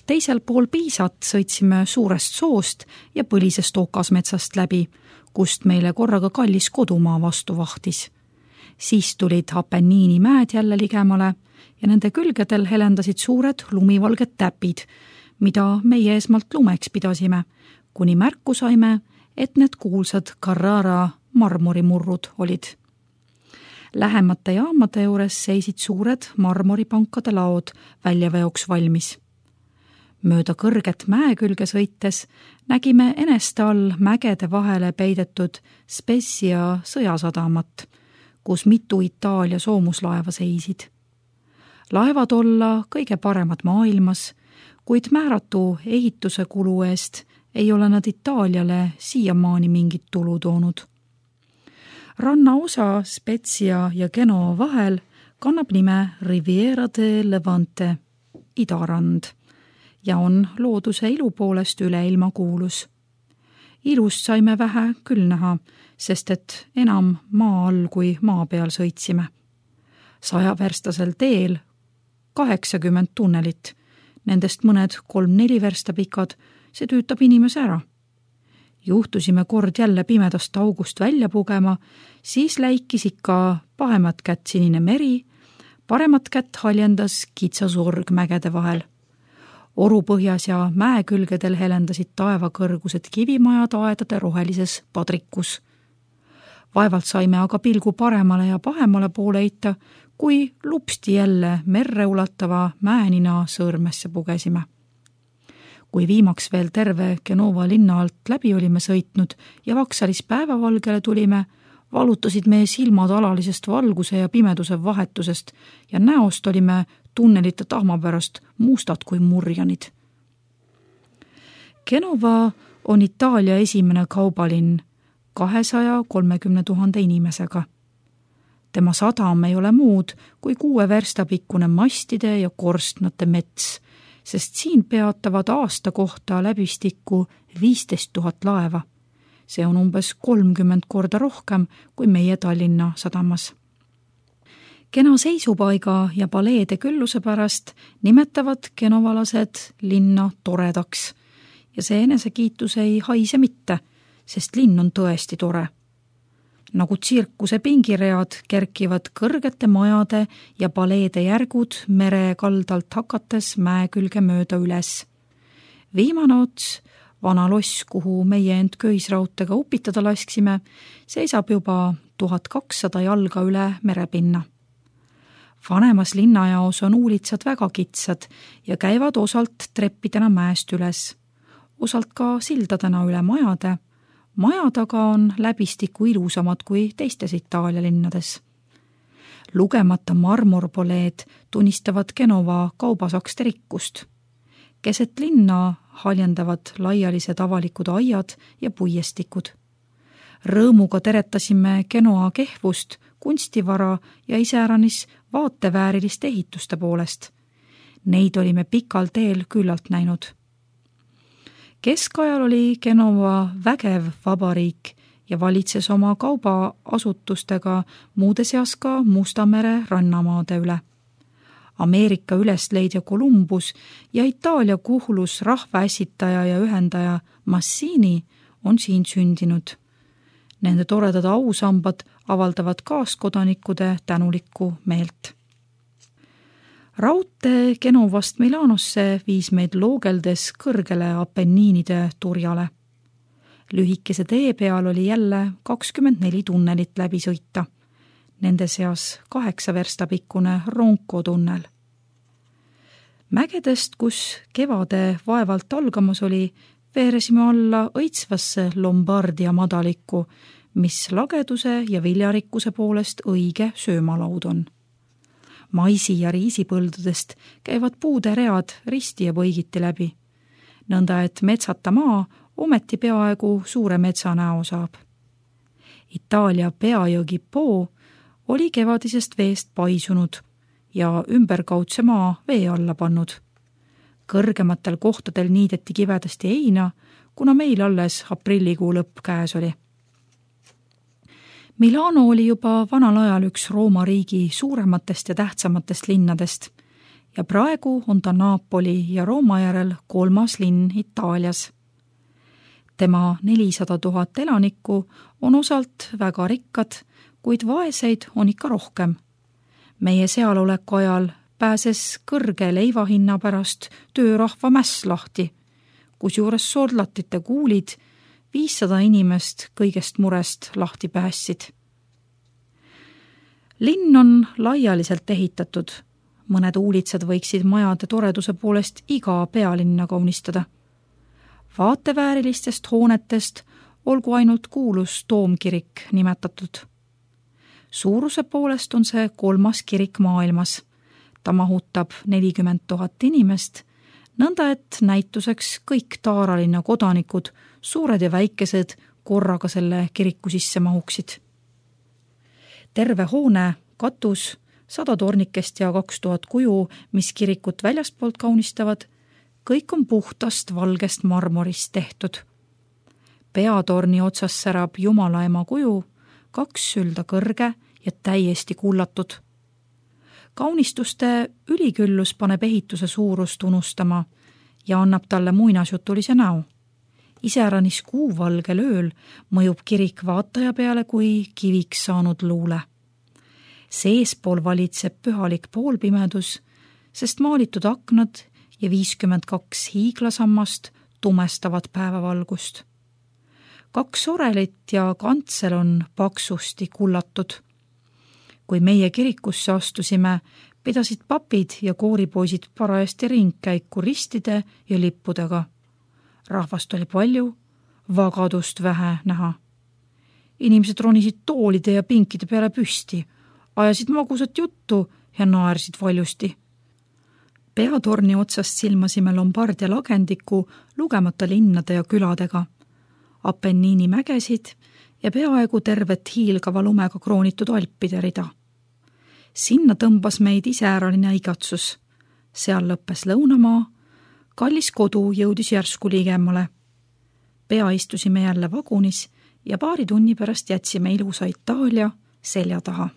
Teisel pool Piisat sõitsime suurest soost ja põlisest okasmetsast läbi, kust meile korraga kallis kodumaa vastu vahtis. Siis tulid Apenniini mäed jälle ligemale ja nende külgedel helendasid suured lumivalged täpid, mida meie esmalt lumeks pidasime, kuni märku saime, et need kuulsad Carrara marmorimurrud olid. Lähemate jaamade juures seisid suured marmoripankade laod väljaveoks valmis. Mööda kõrget mäe külge sõites nägime eneste all mägede vahele peidetud Spezia sõjasadamat, kus mitu Itaalia soomuslaeva seisid. Laevad olla kõige paremad maailmas, kuid määratu ehituse kulu eest ei ole nad Itaaliale siiamaani mingit tulu toonud. Rannaosa Spezia ja Genova vahel kannab nime Riviera de Levante, idarand, ja on looduse ilu poolest üleilma kuulus. Ilust saime vähe küll näha, sest et enam maa all kui maa peal sõitsime. 100-verstasel teel 80 tunnelit, nendest mõned 3-4 versta pikad, see tüütab inimese ära. Juhtusime kord jälle pimedast august välja pugema, siis läikis ikka paremat kätt sinine meri, paremat kätt haljendas kitsasurg mägede vahel. Orupõhjas ja mäekülgedel helendasid taevakõrgused kivimajad aedade rohelises padrikus. Vaevalt saime aga pilgu paremale ja pahemale poole heita, kui lupsti jälle merre ulatava mäenina sõõrmesse pugesime. Kui viimaks veel terve Genova linna alt läbi olime sõitnud ja Vaksalis päevavalgele tulime, valutasid meie silmad alalisest valguse ja pimeduse vahetusest ja näost olime tunnelite tahma pärast mustad kui murjanid. Genova on Itaalia esimene kaubalinn 230 000 inimesega. Tema sadam ei ole muud kui 6 versta pikkune mastide ja korstnate mets, sest siin peatavad aasta kohta läbistikku 15 000 laeva. See on umbes 30 korda rohkem kui meie Tallinna sadamas. Kena seisupaiga ja paleede külluse pärast nimetavad genovalased linna toredaks ja see enesekiitus ei haise mitte, sest linn on tõesti tore. Nagu tsirkuse pingiread kerkivad kõrgete majade ja paleede järgud mere kaldalt hakates mäe külge mööda üles. Viimane ots, vana loss, kuhu meie end köisrautega upitada lasksime, seisab juba 1200 jalga üle merepinna. Vanemas linnajaos on uulitsad väga kitsad ja käivad osalt treppidena mäest üles, osalt ka sildadena üle majade. Majad aga on läbistikku ilusamad kui teistes Itaalia linnades. Lugemata marmorpoleed tunnistavad Genova kaubasakste rikkust. Keset linna haljendavad laialised avalikud aiad ja puiestikud. Rõõmuga teretasime Genoa kehvust, kunstivara ja iseäranis vaatevääriliste ehituste poolest. Neid olime pikal teel küllalt näinud. Keskajal oli Genova vägev vabariik ja valitses oma kaubaasutustega muude seas ka Musta mere rannamaade üle. Ameerika ülesleidja Columbus ja Itaalia kuhlus rahvaässitaja ja ühendaja Massini on siin sündinud. Nende toredad ausambad avaldavad kaaskodanikude tänulikku meelt. Raudtee Genovast Milanosse viis meid loogeldes kõrgele Apenniinide turjale. Lühikese tee peal oli jälle 24 tunnelit läbi sõita. Nende seas 8 versta pikkune Ronco tunnel. Mägedest, kus kevade vaevalt algamas oli, veeresime alla õitsvasse Lombardia madalikku, mis lageduse ja viljarikkuse poolest õige söömalaud on. Maisi ja riisipõldudest käivad puude read risti ja põigiti läbi. Nõnda, et metsata maa ometi peaaegu suure metsa näo saab. Itaalia peajõgi Po oli kevadisest veest paisunud ja ümberkaudse maa vee alla pannud. Kõrgematel kohtadel niideti kivedasti heina, kuna meil alles aprillikuu lõpp käes oli. Milano oli juba vanal ajal üks Rooma riigi suurematest ja tähtsamatest linnadest ja praegu on ta Napoli ja Rooma järel 3. linn Itaalias. Tema 400 000 elanikku on osalt väga rikkad, kuid vaeseid on ikka rohkem. Meie sealoleku ajal pääses kõrge leivahinna pärast töörahva mäss lahti, kusjuures soldatite kuulid 500 inimest kõigest murest lahti päästsid. Linn on laialiselt ehitatud. Mõned uulitsad võiksid majade toreduse poolest iga pealinna kaunistada. Vaateväärilistest hoonetest olgu ainult kuulus Toomkirik nimetatud. Suuruse poolest on see 3. kirik maailmas. Ta mahutab 40 000 inimest, nõnda et näituseks kõik Taaralinna kodanikud, suured ja väikesed, korraga selle kiriku sisse mahuksid. Terve hoone, katus, 100 tornikest ja 2000 kuju, mis kirikut väljaspoolt kaunistavad, kõik on puhtast valgest marmorist tehtud. Peatorni otsas särab Jumala ema kuju, 2 sülda kõrge ja täiesti kullatud. Kaunistuste üliküllus paneb ehituse suurust unustama ja annab talle muinasjutulise näo. Iseäranis kuuvalgel ööl mõjub kirik vaataja peale kui kiviks saanud luule. Seespool valitseb pühalik poolpimedus, sest maalitud aknad ja 52 hiiglasammast tumestavad päevavalgust. 2 orelit ja kantsel on paksusti kullatud. Kui meie kirikusse astusime, pidasid papid ja kooripoisid parajasti ringkäiku ristide ja lippudega. Rahvast oli palju, vagadust vähe näha. Inimesed ronisid toolide ja pinkide peale püsti, ajasid magusat juttu ja naersid valjusti. Peatorni otsast silmasime Lombardia lagendiku lugemata linnade ja küladega, Apenniini mägesid ja peaaegu tervet hiilgava lumega kroonitud Alpide rida. Sinna tõmbas meid iseäraline igatsus. Seal lõppes lõunamaa, kallis kodu jõudis järsku ligemale. Pea istusime jälle vagunis ja paari tunni pärast jätsime ilusa Itaalia selja taha.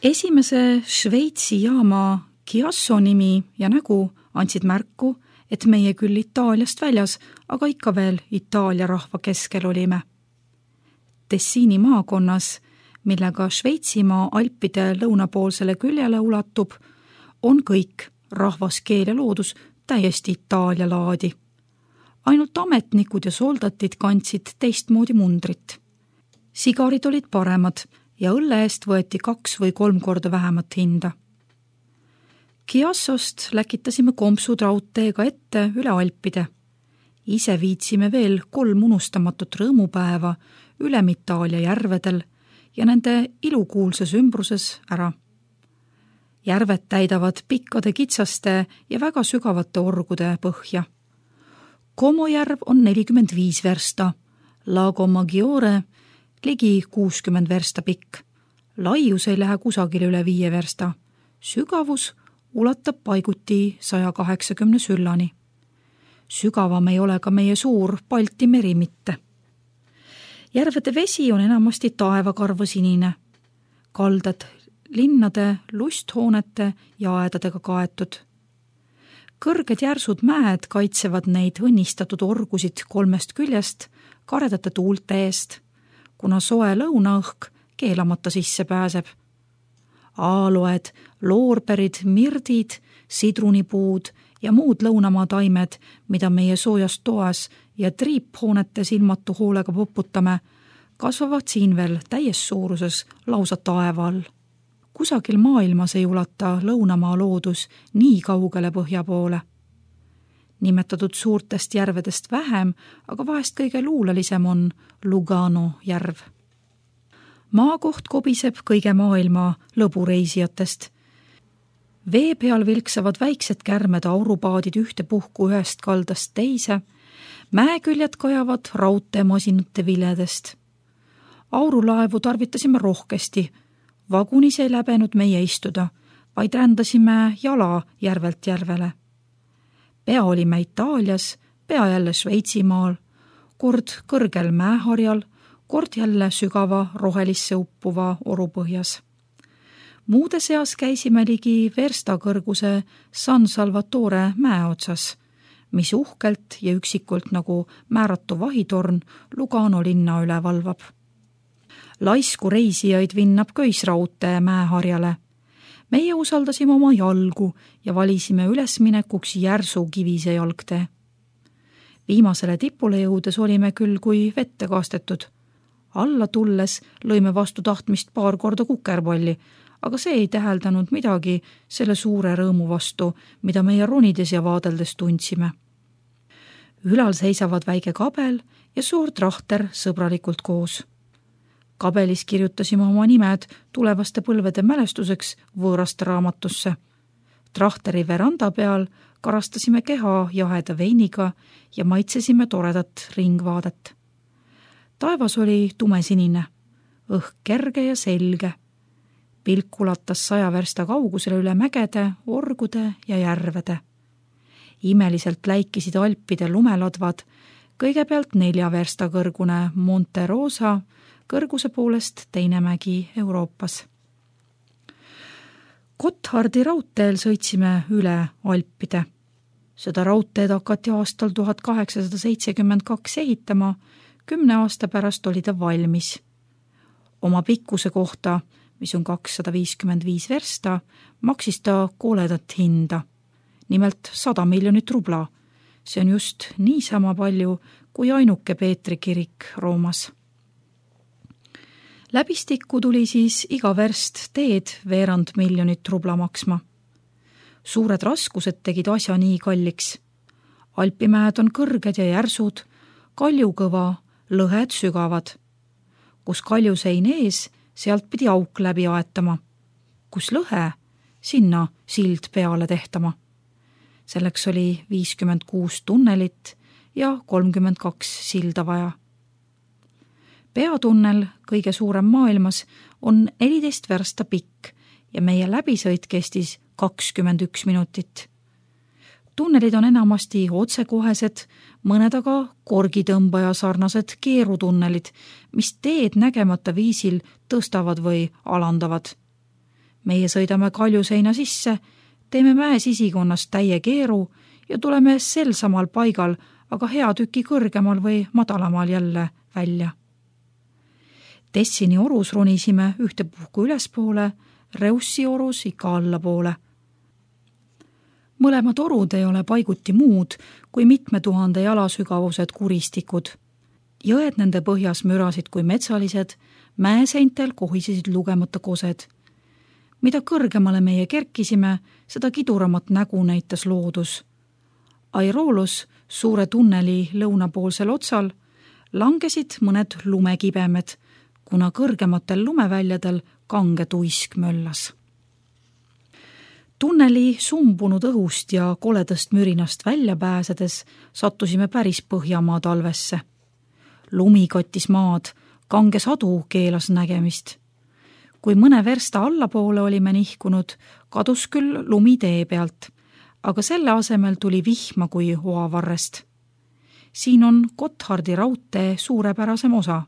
Esimese Šveitsi jaama Chiasso nimi ja nägu andsid märku, et meie küll Itaaliast väljas, aga ikka veel Itaalia rahva keskel olime. Tessiini maakonnas, millega Šveitsimaa Alpide lõunapoolsele küljele ulatub, on kõik, rahvas, keel ja loodus, täiesti Itaalia laadi. Ainult ametnikud ja soldatid kandsid teistmoodi mundrit. Sigarid olid paremad ja õlle eest võeti 2 või 3 korda vähemat hinda. Chiassost läkitasime kompsud raudteega ette üle Alpide. Ise viitsime veel 3 unustamatut rõõmupäeva üle Itaalia järvedel ja nende ilukuulses ümbruses ära. Järved täidavad pikkade kitsaste ja väga sügavate orgude põhja. Como järv on 45 versta, Lago Maggiore ligi 60 versta pikk. Laius ei lähe kusagile üle 5 versta. Sügavus ulatab paiguti 180 süllani. Sügavam ei ole ka meie suur Balti meri mitte. Järvede vesi on enamasti taevakarva sinine. Kaldad linnade, lusthoonete ja aedadega kaetud. Kõrged järsud mäed kaitsevad neid õnnistatud orgusid 3 küljest karedate tuulte eest, kuna soe lõunaõhk keelamata sisse pääseb. Aaloed, loorberid, mirdid, sidrunipuud ja muud lõunamaa taimed, mida meie soojas toas ja triiphoonete silmatu hoolega poputame, kasvavad siin veel täies suuruses lausa taeva all. Kusagil maailmas ei ulata lõunamaa loodus nii kaugele põhja poole. Nimetatud suurtest järvedest vähem, aga vahest kõige luulelisem on Lugano järv. Maakoht kobiseb kõige maailma lõbureisijatest. Vee peal vilksavad väiksed kärmed aurupaadid ühtepuhku ühest kaldast teise, mäeküljed kajavad raudteemasinate viledest. Aurulaevu tarvitasime rohkesti, vagunis ei läbenud meie istuda, vaid rändasime jala järvelt järvele. Pea olime Itaalias, pea jälle Šveitsimaal, kord kõrgel mäeharjal, kord jälle sügava rohelisse uppuva orupõhjas. Muude seas käisime ligi versta kõrguse San Salvatore mäe otsas, mis uhkelt ja üksikult nagu määratu vahitorn Lugano linna üle valvab. Laisku reisijaid vinnab köisraudtee mäeharjale. Meie usaldasime oma jalgu ja valisime ülesminekuks järsu kivise jalgtee. Viimasele tipule jõudes olime küll kui vette kastetud. Alla tulles lõime vastu tahtmist paar korda kukerpalli, aga see ei täheldanud midagi selle suure rõõmu vastu, mida meie ronides ja vaadeldes tundsime. Ülal seisavad väike kabel ja suur trahter sõbralikult koos. Kabelis kirjutasime oma nimed tulevaste põlvede mälestuseks võõraste raamatusse. Trahteri veranda peal karastasime keha jaheda veiniga ja maitsesime toredat ringvaadet. Taevas oli tumesinine, õhk kerge ja selge. Pilk ulatas 100 versta kaugusele üle mägede, orgude ja järvede. Imeliselt läikisid Alpide lumeladvad, kõigepealt 4 versta kõrgune Monte Rosa, kõrguse poolest teine mägi Euroopas. Gotthardi raudteel sõitsime üle Alpide. Seda raudteed hakati aastal 1872 ehitama, 10 aasta pärast oli ta valmis. Oma pikkuse kohta, mis on 255 versta, maksis ta koledat hinda. Nimelt 100 miljonit rubla. See on just niisama palju kui ainuke Peetri kirik Roomas. Läbistikku tuli siis iga verst teed 200 miljonit rubla maksma. Suured raskused tegid asja nii kalliks. Alpimäed on kõrged ja järsud, kaljukõva, lõhed sügavad. Kus kaljusein ees, sealt pidi auk läbi aetama. Kus lõhe, sinna sild peale tehtama. Selleks oli 56 tunnelit ja 32 silda vaja. Peatunnel, kõige suurem maailmas, on 14 versta pikk ja meie läbisõit kestis 21 minutit. Tunnelid on enamasti otsekohesed, mõned aga korgitõmbaja sarnased keerutunnelid, mis teed nägemata viisil tõstavad või alandavad. Meie sõidame kaljuseina sisse, teeme mäe sisikonnast täie keeru ja tuleme sel samal paigal, aga hea tüki kõrgemal või madalamal jälle välja. Tessini orus ronisime ühtepuhku ülespoole, Reussi orus ikka allapoole. Mõlemad orud ei ole paiguti muud kui mitme 1000 jalasügavused kuristikud. Jõed nende põhjas mürasid kui metsalised, mäeseintel kohisesid lugemata kosed. Mida kõrgemale meie kerkisime, seda kiduramat nägu näitas loodus. Airolus, suure tunneli lõunapoolsel otsal, langesid mõned lumekibemed, kuna kõrgematel lumeväljadel kange tuisk möllas. Tunneli sumbunud õhust ja koledast mürinast välja pääsedes sattusime päris Põhjamaa talvesse. Lumi kattis maad, kange sadu keelas nägemist. Kui mõne versta allapoole olime nihkunud, kadus küll lumi tee pealt, aga selle asemel tuli vihma kui oavarrest. Siin on Gotthardi raudtee suurepärasem osa.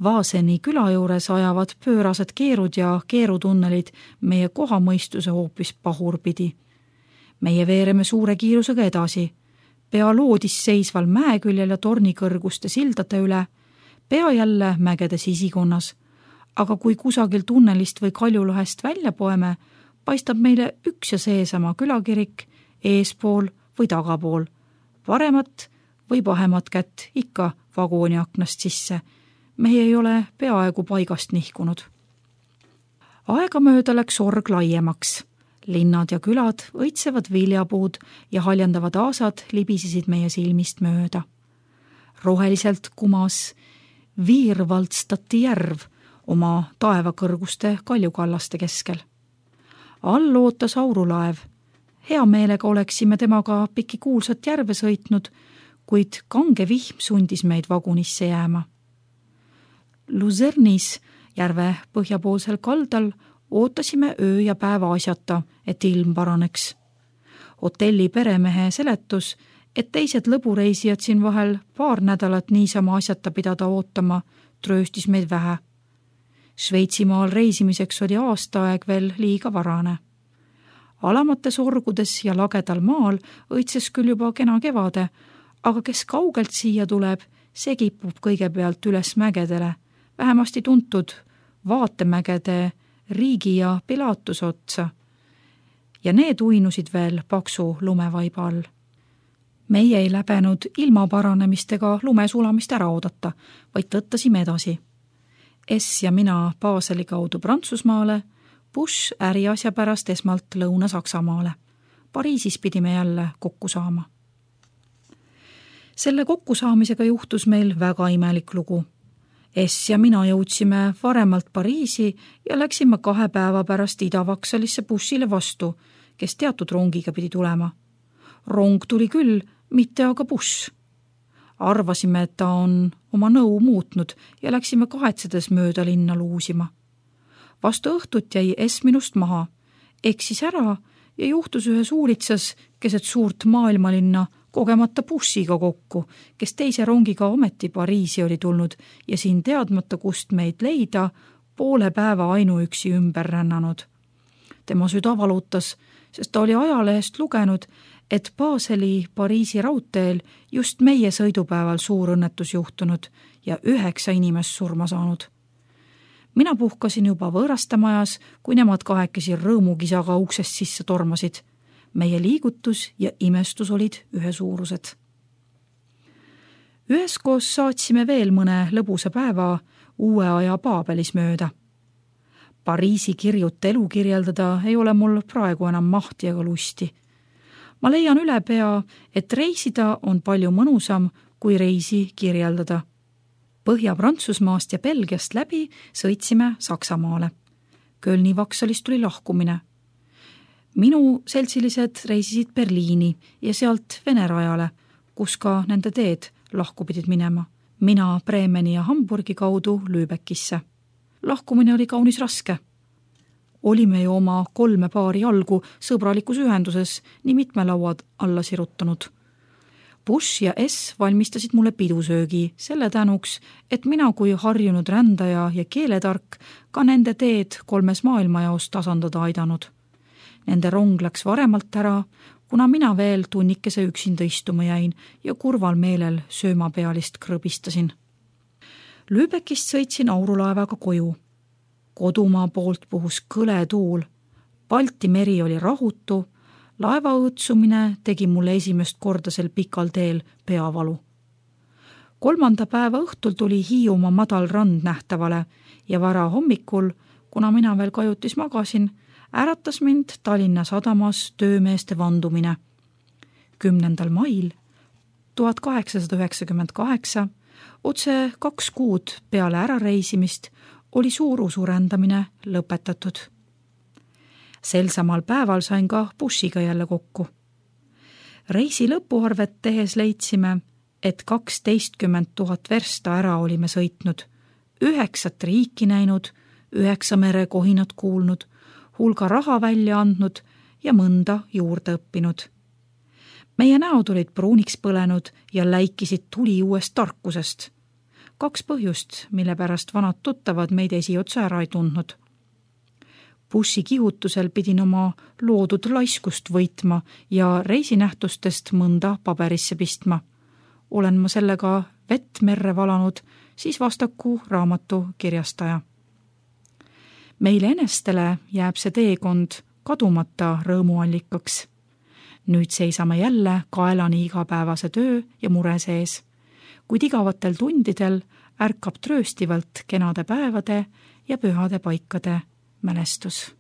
Vaaseni küla juures ajavad pöörased keerud ja keerutunnelid meie kohamõistuse hoopis pahurpidi. Meie veereme suure kiirusega edasi, pea loodis seisval mäeküljel ja tornikõrguste sildade üle, pea jälle mägede sisikonnas, aga kui kusagil tunnelist või kaljulahest välja poeme, paistab meile üks ja seesama külakirik eespool või tagapool, paremat või pahemat kätt ikka vagooni aknast sisse. Meie ei ole peaaegu paigast nihkunud. Aegamööda läks org laiemaks. Linnad ja külad, õitsevad viljapuud ja haljandavad aasad libisesid meie silmist mööda. Roheliselt kumas Viirvaldstati järv oma taevakõrguste kaljukallaste keskel. All ootas aurulaev. Hea meelega oleksime temaga piki kuulsat järve sõitnud, kuid kange vihm sundis meid vagunisse jääma. Luzernis, järve põhjapoolsel kaldal, ootasime öö ja päeva asjata, et ilm paraneks. Hotelli peremehe seletus, et teised lõbureisijad siin vahel paar nädalat niisama asjata pidada ootama, trööstis meid vähe. Šveitsimaal reisimiseks oli aastaaeg veel liiga varane. Alamates orgudes ja lagedal maal õitses küll juba kena kevade, aga kes kaugelt siia tuleb, see kipub kõigepealt üles mägedele, vähemasti tuntud vaatemägede Riigi ja Pilatuse otsa. Ja need uinusid veel paksu lumevaiba all. Meie ei läbenud ilma paranemistega lumesulamist ära oodata, vaid tõttasime edasi. S ja mina Baseli kaudu Prantsusmaale, Bush äriasja pärast esmalt Lõuna-Saksamaale. Pariisis pidime jälle kokku saama. Selle kokkusaamisega juhtus meil väga imelik lugu. S ja mina jõudsime varemalt Pariisi ja läksime 2 päeva pärast Ida-Vaksalisse Bushile vastu, kes teatud rongiga pidi tulema. Rong tuli küll, mitte aga Bush. Arvasime, et ta on oma nõu muutnud ja läksime kahetsedes mööda linna luusima. Vastu õhtut jäi S minust maha, eksis ära ja juhtus ühes uulitsas keset suurt maailmalinna kogemata bussiga kokku, kes teise rongiga ometi Pariisi oli tulnud ja siin teadmata, kust meid leida, poole päeva ainuüksi ümber rännanud. Tema süda valutas, sest ta oli ajalehest lugenud, et Baseli Pariisi raudteel just meie sõidupäeval suur õnnetus juhtunud ja 9 inimest surma saanud. Mina puhkasin juba võõraste majas, kui nemad 2 rõõmukisaga uksest sisse tormasid. Meie liigutus ja imestus olid ühesuurused. Üheskoos saatsime veel mõne lõbusa päeva uue aja Paabelis mööda. Pariisi kirjut elu kirjeldada ei ole mul praegu enam mahti ega lusti. Ma leian üle pea, et reisida on palju mõnusam, kui reisi kirjeldada. Põhja-Prantsusmaast ja Belgiast läbi sõitsime Saksamaale. Kölni Vaksalist tuli lahkumine. Minu seltsilised reisisid Berliini ja sealt Vene rajale, kus ka nende teed lahku pidid minema. Mina Bremeni ja Hamburgi kaudu Lübeckisse. Lahkumine oli kaunis raske. Olime ju oma 3 paari jalgu sõbralikus ühenduses nii mitme lauad alla sirutanud. Bush ja S valmistasid mulle pidusöögi selle tänuks, et mina kui harjunud rändaja ja keeletark ka nende teed 3 maailmajaos tasandada aidanud. Nende rong läks varemalt ära, kuna mina veel tunnikese üksinda istuma jäin ja kurval meelel söömapealist krõbistasin. Lübeckist sõitsin aurulaevaga koju. Kodumaa poolt puhus kõle tuul. Balti meri oli rahutu, laeva õõtsumine tegi mulle esimest korda sel pikal teel peavalu. 3. päeva õhtul tuli Hiiumaa madal rand nähtavale ja vara hommikul, kuna mina veel kajutis magasin, äratas mind Tallinna sadamas töömeeste vandumine. 10. mail 1898, otse 2 kuud peale ärareisimist, oli suurusurändamine lõpetatud. Sel samal päeval sain ka bussiga jälle kokku. Reisi lõpuarvet tehes leidsime, et 12 000 versta ära olime sõitnud, 9 riiki näinud, 9 merekohinat kuulnud, hulga raha välja andnud ja mõnda juurde õppinud. Meie näod olid pruuniks põlenud ja läikisid tuli uuest tarkusest. 2 põhjust, mille pärast vanad tuttavad meid esiotsa ära ei tundnud. Bussi kihutusel pidin oma loodud laiskust võitma ja reisinähtustest mõnda paberisse pistma. Olen ma sellega vett merre valanud, siis vastaku raamatu kirjastaja. Meile enestele jääb see teekond kadumata rõõmuallikaks. Nüüd seisame jälle kaelani igapäevase töö ja mure sees, kuid igavatel tundidel ärkab trööstivalt kenade päevade ja pühade paikade mälestus.